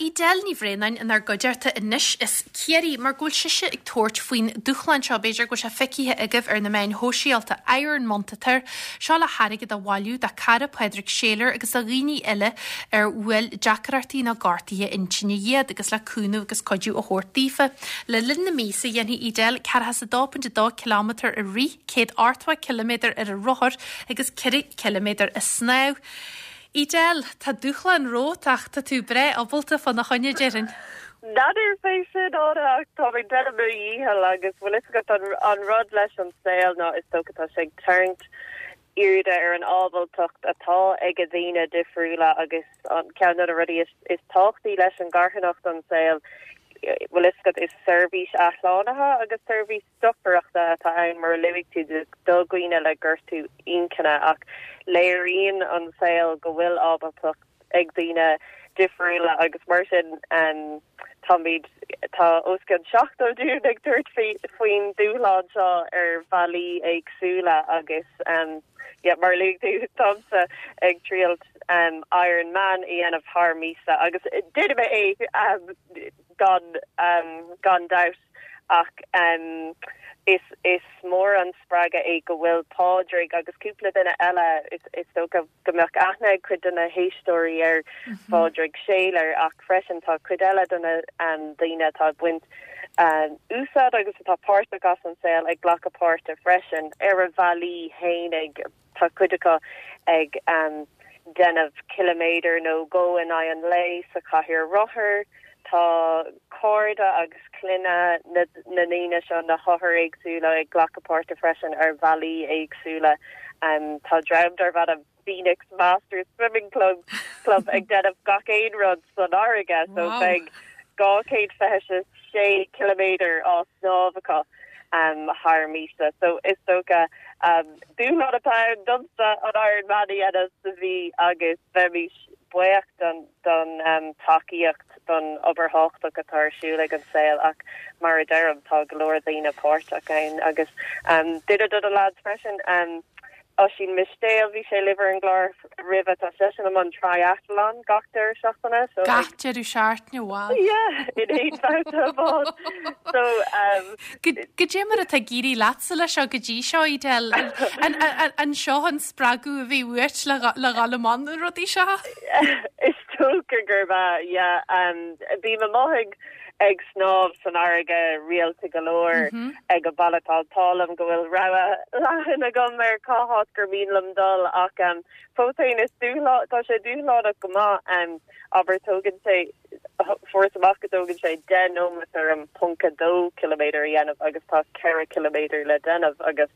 Edel Ní Bhraonáin inár gcuideachta anois as Ciarraí mar go bhfuil sise ag tabhairt faoin dúshlán seo, b'fhéidir go bhfuil sé feicthe agaibh ar na meáin shóisialta, Iron Month atá air. Seo le hairgead a bhailiú dá cara Pádraig Saylor agus do dhaoine eile ar bhuail deacrachtaí nó gortuithe intinne iad agus le cúnamh agus cuidiú a thabhairt daofa. Le linn na míosa dhéanfaidh Edel 42.2 kilometre ag rith, 180 ciliméadar ar an rothar agus 4 chiliméadar ag snámh. Edel, tá dúshlán romhat ach tá tú breá ábalta fána choinne, déarfainn. N'fheadar fé sin, Áine, ach táim ag déanamh mo dhícheall agus bhfuil fhios agat an rud leis an saol ná is dócha tá sé ag tarraingt airde ar an ábaltacht atá ag daoine difriúla agus an ceann de na rudaí is tábhachtaí leis an gcarthanacht an saol, bhfuil fhios agat, is seirbhís athshlánaithe agus seirbhís dochtúireachta atá ann mar a luaigh tú do dhaoine le gortú inchinne ach léiríonn an saol go bhfuil ábaltacht ag daoine difriúla agus mar sin táimid, tá os cionn 70 dúinn ag tabhairt faoin dúshlán seo ar bhealaí éagsúla agus yeah mar a luaigh tú táimse ag triailt Iron Man a dhéanamh thar míosa agus déanfaidh mé é gan gan dabht ach is is mór an spreagadh é go bhfuil Pádraig agus cúpla duine eile, is dócha go mbeadh aithne ag cuid de na héisteoirí ar Phádraig Saylor ach freisin tá cuid eile de na daoine atá ag baint úsáid agus atá páirteach as an saol ag glacadh páirte freisin ar a bhealaí fhéinig. Tá cuid acu ag déanamh ciliméadar nó dhó in aghaidh an lae sa chathaoir rothar. Tá cairde agus clainne na ndaoine seo, na hothair éagsúla, ag glacadh páirte freisin ar bhealaí éagsúla. Tá dream darb ainm Phoenix Masters Swimming Club Club ag déanamh gach aon rud san fharraige so beidh 226 ciliméadar á snámh acu thar míosa. So is dócha dúshlán atá ann domsa an Iron Man a dhéanamh sa mhí agus bheimis buíoch don don tacaíocht don obair thábhachtach atá ar siúl ag an saol ach mar a deirim tá go leor daoine páirteach ann agus duine de na lads freisin Oisín Mistéil, bhí sé libh ar an gclár roimhe, tá seisean i mbun triathlon gach deireadh seachtaine so Gach deireadh seachtaine, wow. Yeah, in aon bhabhta amháin. So um, Goidé mar atá ag éirí leatsa leis seo go dtí seo, Edel? An, an, an seo an spreagadh a bhí uait le le dhul i mbun na rudaí seo? Is dócha gurb ea, yeah. Um, bím amuigh ag ag snámh san fharraige rialta go leor ag an baile. Tá an t-ádh liom go bhfuil rogha leathan agam ar cá háit gur mian liom dul ach fós féin is dúshlán, tá sé dúshlánach go maith. Abair tógann sé, fuaireas amach go dtógann sé 10 nóiméad orm ponc 2 ciliméadar a dhéanamh agus tá 4 ciliméadar le déanamh agus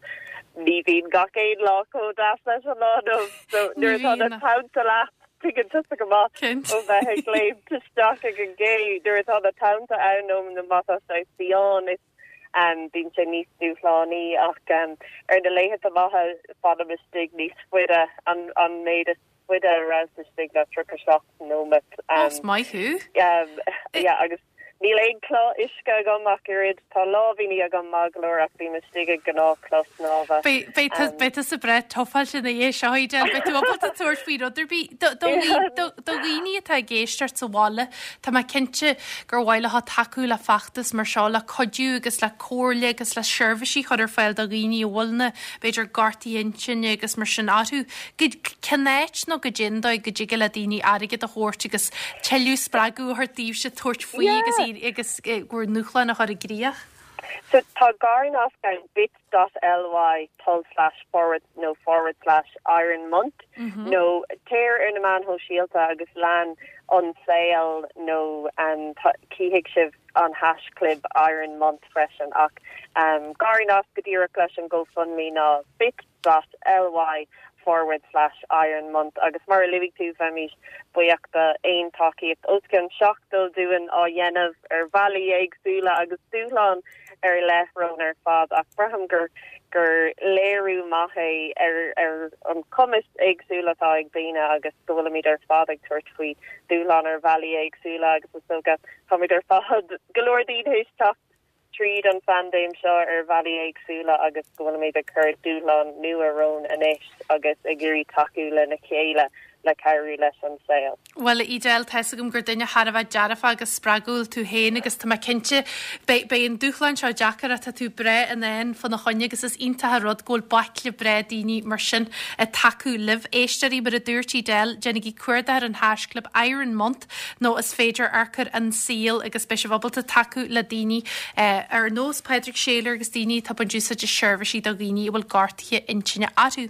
ní bhíonn gach aon lá chomh deas leis an lá inniu. So nuair atá na tonnta leat, Tuigeann tusa go maith ó bheith ag léimt isteach ag an gcé nuair atá na tonnta ann nó má tá sé fiáin is bíonn sé níos dúshlánaí ach ar na laethanta maithe fanaim istigh níos faide, an méid is faide a rabhas istigh ná 37 nóiméad. Is maith thú. Yeah agus Níl aon chulaith uisce agam ach oiread. Tá láimhíní agam maith go leor ach bím istigh i ngnáthchulaith snámha. Beidh tusa breá tufáilte ina dhiaidh seo, Edel. Beidh tú ábalta tabhairt faoi rud ar bith. Do dhaoine atá ag éisteacht sa bhaile, tá mé cinnte gur mhaith leo tacú le feachtas mar seo, le cuidiú agus le comhairle agus le seirbhísí a chur ar fáil do dhaoine a bhfuil na, b'fhéidir, gortuithe intinne agus mar sin orthu. Cén áit nó goidé an dóigh go dtig le daoine airgead a thabhairt agus tuilleadh spreagadh a thabhairt daoibhse tabhairt faoi agus agus bhur ndúshlán a chur i gcrích? So tá garnasc ann, bit dot ly tulslais forward nó forward slash iron month nó téir ar na meáin shóisialta agus lean an saol nó cífidh sibh an haischlib iron month freisin ach garnasc go díreach leis an GoFundMe ná bit dot ly forward slash iron month agus mar a luaigh tú bheimis buíoch d'aon tacaíocht. Os cionn 70 dúinn á dhéanamh ar bhealaí éagsúla agus dúshlán ar leith romhainn ar fad ach braithim gur gur léiriú maith é ar ar an cumas éagsúil atá ag daoine agus go bhfuilimid ar fad ag tabhairt faoi dúshlán ar bhealaí éagsúla agus is dócha táimid ar fad go leor daoine théis teacht tríd an phaindéim seo ar bhealaí éagsúla agus go bhfuilimid ag cur dúshlán nua romhainn anois agus ag iarraidh tacú lena chéile. le cabhrú leis an saol. Bhuel, a Edel, tá's agam gur duine thar a bheith dearfach agus spreagúil tú féin agus tá mé cinnte, beidh, beidh an dúshlán seo deacair ach tá tú breá in ann fána choinne agus is iontach an rud go bhfuil baicle breá daoine mar sin ag tacú libh. Éisteoirí, mar a dúirt Edel, déanaigí cuardach ar an haisclib Iron Month nó is féidir amharc ar An Saol agus beidh sibh ábalta tacú le daoine ar nós Pádraig Shayler agus daoine atá ag baint úsáid seirbhísí do dhaoine a bhfuil gortuithe intinne orthu.